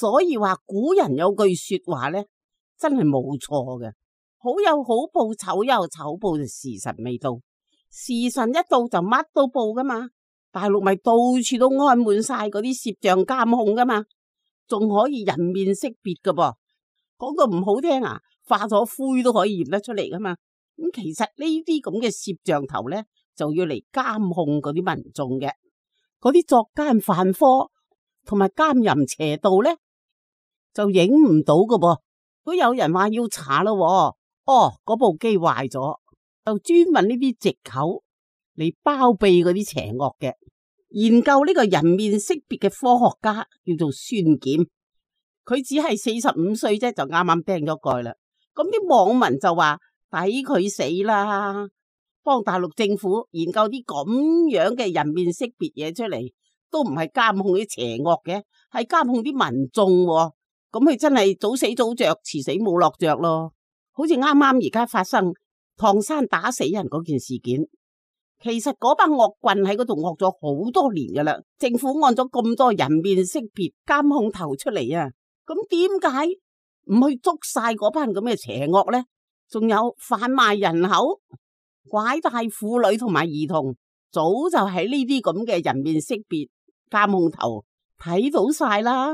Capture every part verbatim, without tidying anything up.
所以話古人有句說話咧，真係冇錯嘅。好有好報，醜有醜報，就時辰未到。時辰一到就乜都報噶嘛。大陸咪到處都安滿晒嗰啲攝像監控噶嘛，仲可以人面識別噶噃。講到唔好聽啊，化咗灰都可以驗得出嚟噶嘛。咁其實呢啲咁嘅攝像頭咧，就要嚟監控嗰啲民眾嘅，嗰啲作奸犯科同埋奸淫邪道咧，就影唔到噶噃。如果有人話要查咯，哦，嗰部機壞咗，就專問呢啲藉口嚟包庇嗰啲邪惡嘅。研究呢個人面識別嘅科學家叫做孫儉，佢只係四十五歲啫，就啱啱釘咗蓋啦。咁啲網民就話抵佢死啦，幫大陸政府研究啲咁樣嘅人面識別嘢出嚟，都唔係監控啲邪惡嘅，係監控啲民眾。咁佢真係早死早着，遲死冇落着咯。好似啱啱而家發生唐山打死人嗰件事件，其實嗰班惡棍喺嗰度惡咗好多年噶啦，政府按咗咁多人面識別監控頭出嚟啊，咁點解唔去捉晒嗰班咁嘅邪惡呢？仲有販賣人口、拐帶婦女同埋兒童，早就喺呢啲咁嘅人面識別監控頭睇到晒啦。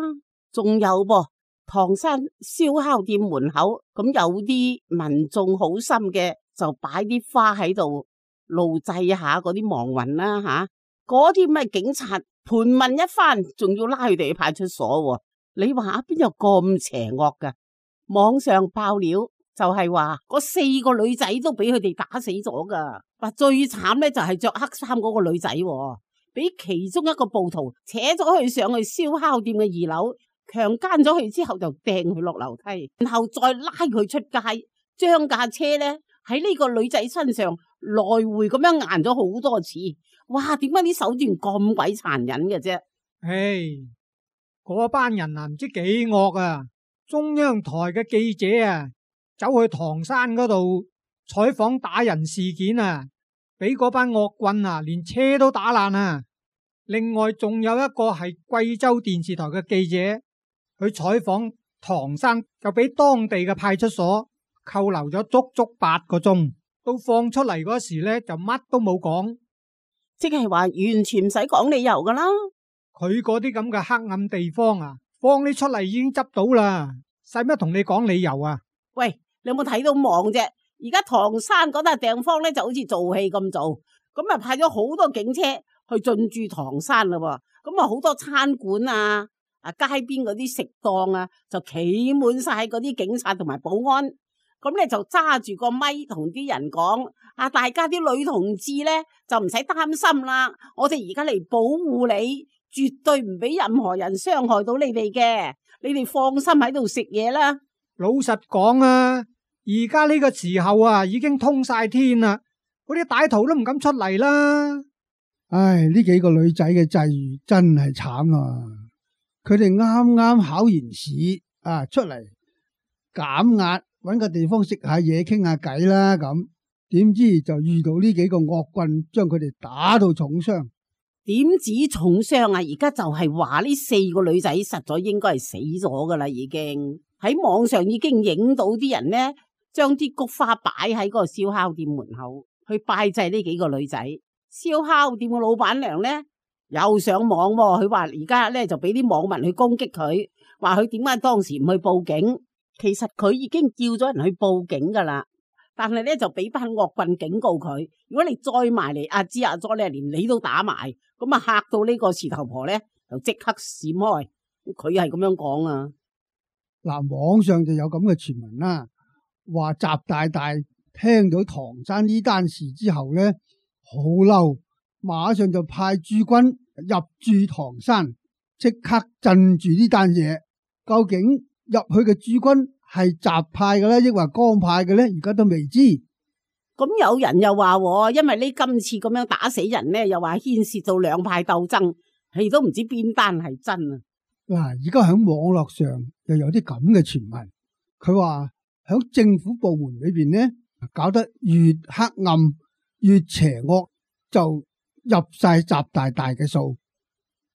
仲有噃，唐山燒烤店門口咁有啲民眾好心嘅，就擺啲花喺度路祭下嗰啲亡魂啦吓。嗰啲咩警察盤問一番，仲要拉佢哋去派出所。你話邊有咁邪惡噶？網上爆料就係話嗰四個女仔都俾佢哋打死咗噶。話最慘咧就係着黑衫嗰個女仔，俾其中一個暴徒扯咗佢上去燒烤店嘅二樓，強姦咗佢之後就掟佢落樓梯，然後再拉佢出街，將架車咧喺呢個女仔身上來回咁樣硬咗好多次。哇！點解啲手段咁鬼殘忍嘅啫？唉，嗰班人啊唔知幾惡啊！中央台嘅記者啊，走去唐山嗰度採訪打人事件啊，俾嗰班惡棍啊連車都打爛啊！另外仲有一個係貴州電視台嘅記者去採訪唐山，就俾當地嘅派出所扣留咗足足八個鐘，到放出嚟嗰時呢，就乜都冇講，即係話完全唔使講理由噶啦。佢嗰啲咁嘅黑暗地方啊，放你出嚟已經執到啦，使乜同你講理由啊？喂，你有冇睇到網啫？而家唐山嗰笪地方咧就好似做戲咁做，咁啊派咗好多警車去進駐唐山啦，咁啊好多餐館啊、啊街邊嗰啲食檔啊，就企滿晒嗰啲警察同埋保安，咁咧就揸住個咪同啲人講：啊，大家啲女同志咧就唔使擔心啦，我哋而家嚟保護你。絕對唔俾任何人傷害到你哋嘅，你哋放心喺度食嘢啦。老實講啊，而家呢個時候啊，已經通晒天啦，嗰啲歹徒都唔敢出嚟啦。唉，呢幾個女仔嘅際遇真係慘啊！佢哋啱啱考完試啊，出嚟減壓，搵個地方食下嘢，傾下偈啦。咁點知就遇到呢幾個惡棍，將佢哋打到重傷。點止重傷啊！而家就係話呢四個女仔實在應該係死咗噶啦，已經喺網上已經影到啲人呢，將啲菊花擺喺嗰個燒烤店門口去拜祭呢幾個女仔。燒烤店嘅老闆娘呢又上網，佢話而家呢就俾啲網民去攻擊佢，話佢點解當時唔去報警？其實佢已經叫咗人去報警噶啦。但係咧就俾班惡棍警告佢，如果你再埋嚟阿芝阿咗咧，連你都打埋，咁啊嚇到呢個事頭婆咧就即刻閃開。佢係咁樣講啊。嗱，網上就有咁嘅傳聞啦，話習大大聽到唐山呢單事之後咧，好嬲，馬上就派駐軍入駐唐山，即刻鎮住呢單嘢。究竟入去嘅駐軍係習派嘅咧，抑或江派嘅咧？而家都未知。咁有人又話，因為呢今次咁樣打死人咧，又話牽涉到兩派鬥爭，係都唔知邊單係真啊！嗱，而家喺網絡上又有啲咁嘅傳聞，佢話喺政府部門裏邊咧，搞得越黑暗越邪惡，就入晒習大大嘅數，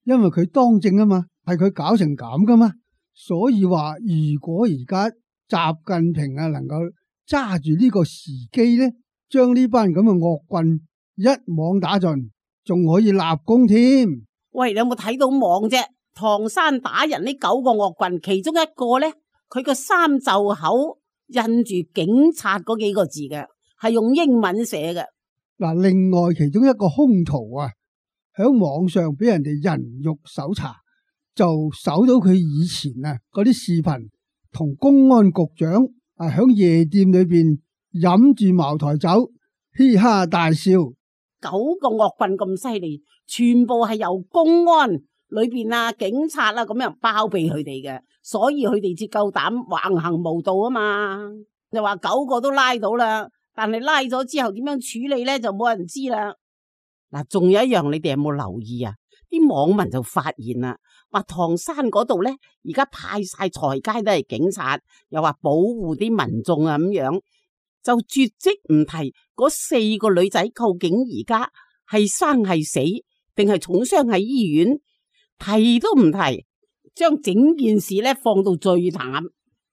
因為佢當政啊嘛，係佢搞成咁噶嘛。所以話如果而家習近平啊能夠揸住呢個時機咧，將呢班咁嘅惡棍一網打盡，仲可以立功添。喂，你有冇睇到網啫？唐山打人呢九個惡棍，其中一個咧，佢個衫袖口印住警察嗰幾個字嘅，係用英文寫嘅。嗱，另外其中一個兇徒啊，喺網上俾人哋人肉搜查，就搜到佢以前啊嗰啲視頻，同公安局長啊喺夜店裏邊飲住茅台酒，嘻哈大笑。九個惡棍咁犀利，全部係由公安裏邊啊、警察啊咁樣包庇佢哋嘅，所以佢哋至夠膽橫行無道啊嘛。又話九個都拉到啦，但係拉咗之後點樣處理咧，就冇人知啦。嗱，仲有一樣，你哋有冇留意啊？啲網民就發現啦，話唐山嗰度咧，而家派晒財街都係警察，又話保護啲民眾啊咁樣。就絕迹唔提嗰四個女仔究竟而家係生係死定係重傷喺醫院，提都唔提，將整件事咧放到最淡。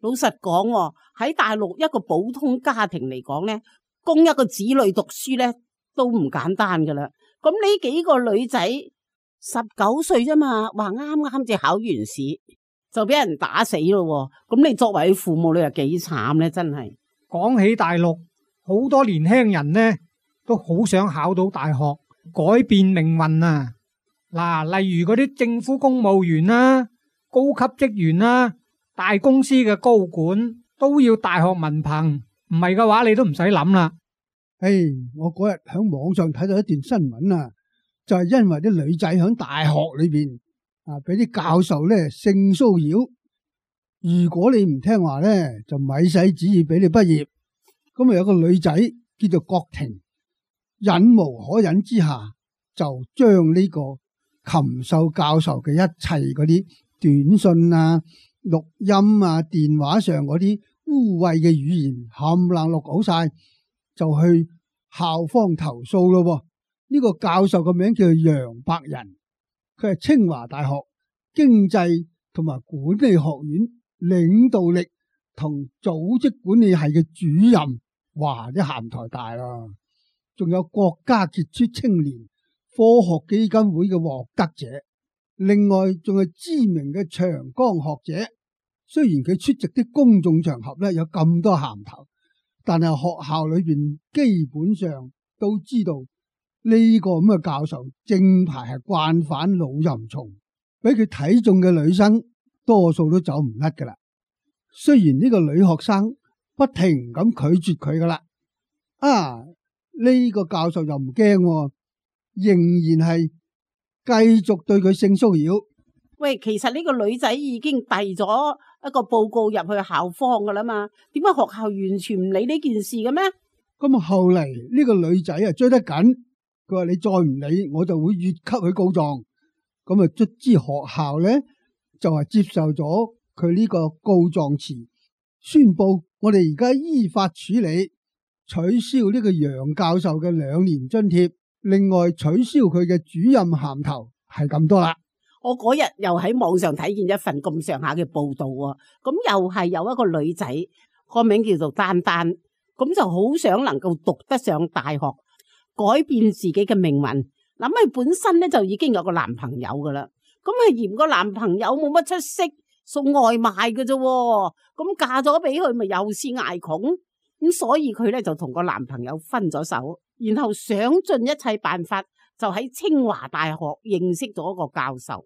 老實講喎，喺大陸一個普通家庭嚟講咧，供一個子女讀書咧都唔簡單噶啦。咁呢幾個女仔十九歲啫嘛，話啱啱至考完試就俾人打死咯。咁你作為父母，你又幾慘咧？真係。講起大陸，好多年輕人呢都好想考到大學，改變命運啊！嗱，例如嗰啲政府公務員啦、高級職員啦、大公司嘅高管都要大學文憑，唔係嘅話你都唔使諗啦。誒，我嗰日喺網上睇到一段新聞啊，就係因為啲女仔喺大學裏邊啊，俾啲教授咧性騷擾。如果你唔聽話咧，就咪使旨意俾你畢業。咁啊有個女仔叫做郭婷，忍無可忍之下，就將呢個禽獸教授嘅一切嗰啲短信啊、錄音啊、電話上嗰啲污穢嘅語言冚唪唥錄好晒，就去校方投訴咯。呢個教授個名叫做楊百仁，佢係清華大學經濟同埋管理學院領導力同組織管理系嘅主任，哇！啲銜台大啦，仲有國家傑出青年科學基金會嘅獲得者，另外仲係知名嘅長江學者。雖然佢出席啲公眾場合咧有咁多銜頭，但係學校裏邊基本上都知道呢個咁嘅教授正牌係慣犯老淫蟲，俾佢睇中嘅女生多數都走唔甩噶啦。雖然呢個女學生不停咁拒絕佢噶啦，啊呢個教授又唔驚，仍然係繼續對佢性騷擾。喂，其實呢個女仔已經遞咗一個報告入去校方噶啦嘛，點解學校完全唔理呢件事嘅咩？咁啊後嚟呢個女仔啊追得緊，佢話你再唔理，我就會越級去告狀。咁啊卒之學校咧就係接受咗佢呢個告狀詞，宣布我哋而家依法處理，取消呢個楊教授嘅兩年津貼，另外取消佢嘅主任銜頭，係咁多啦。我嗰日又喺網上睇見一份咁上下嘅報道啊，咁又係有一個女仔，個名叫做丹丹，咁就好想能夠讀得上大學，改變自己嘅命運。諗佢本身咧就已經有個男朋友噶啦，咁係嫌個男朋友冇乜出息，送外賣嘅啫，咁嫁咗俾佢咪又是挨窮，咁所以佢咧就同個男朋友分咗手，然後想盡一切辦法，就喺清華大學認識咗一個教授，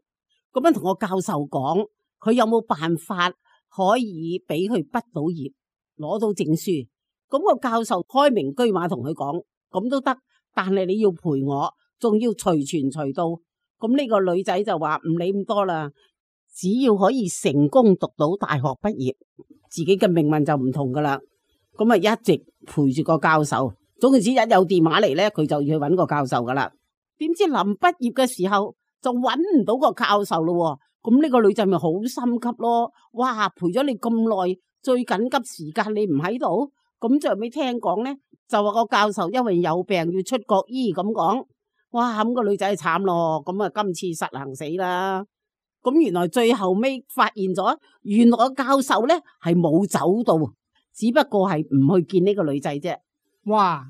咁樣同個教授講，佢有冇辦法可以俾佢畢到業，攞到證書。咁個教授開明車馬同佢講，咁都得，但係你要陪我，仲要隨傳隨到。咁呢個女仔就話唔理咁多啦，只要可以成功讀到大學畢業，自己嘅命運就唔同噶啦。咁啊一直陪住個教授，總之一有電話嚟咧，佢就要去搵個教授噶啦。點知臨畢業嘅時候就搵唔到個教授咯，咁呢個女仔咪好心急咯。哇，陪咗你咁耐，最緊急時間你唔喺度，咁最後尾聽講咧，就話個教授因為有病要出國醫咁講。哇，咁個女仔慘咯，咁啊今次實行死啦。咁原來最後尾發現咗，原來個教授咧係冇走到，只不過係唔去見呢個女仔啫。哇！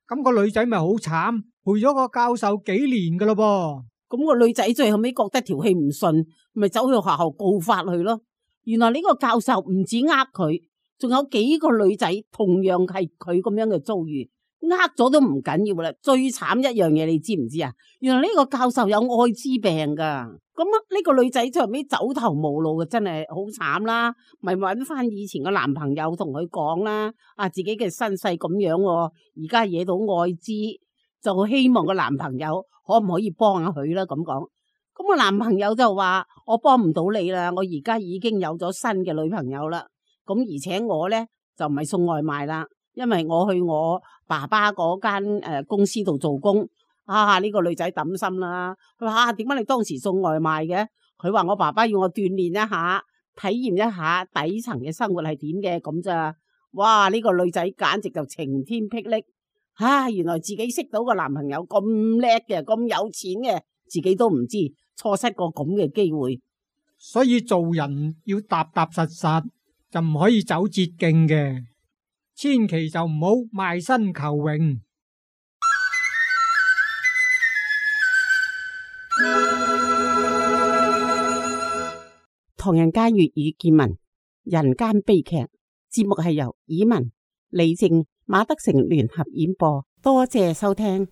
咁個女仔咪好慘，陪咗個教授幾年噶咯噃。咁個女仔最後尾覺得條氣唔順，咪走去學校告發佢咯。原來呢個教授唔止呃佢，仲有幾個女仔同樣係佢咁樣嘅遭遇，呃咗都唔緊要啦。最慘一樣嘢你知唔知啊？原來呢個教授有艾滋病噶，咁啊呢個女仔最後尾走投無路嘅，真係好慘啦。咪搵翻以前嘅男朋友同佢講啦，啊自己嘅身世咁樣，而家惹到艾滋，就希望個男朋友可唔可以幫下佢啦？咁講，咁個男朋友就話我幫唔到你啦，我而家已經有咗新嘅女朋友啦。咁而且我咧就唔係送外賣啦，因為我去我爸爸嗰間誒公司度做工。啊呢個女仔抌心啦，佢話啊點解你當時送外賣嘅？佢話我爸爸要我鍛煉一下，體驗一下底層嘅生活係點嘅咁咋。哇呢個女仔簡直就晴天霹靂。啊！原來自己識到個男朋友咁叻嘅，咁有錢嘅，自己都唔知，錯失個咁嘅機會。所以做人要踏踏實實，就唔可以走捷徑嘅，千祈就唔好賣身求榮。唐人街粵語見聞，人間悲劇節目係由以文、李靜、馬德成聯合演播，多謝收聽。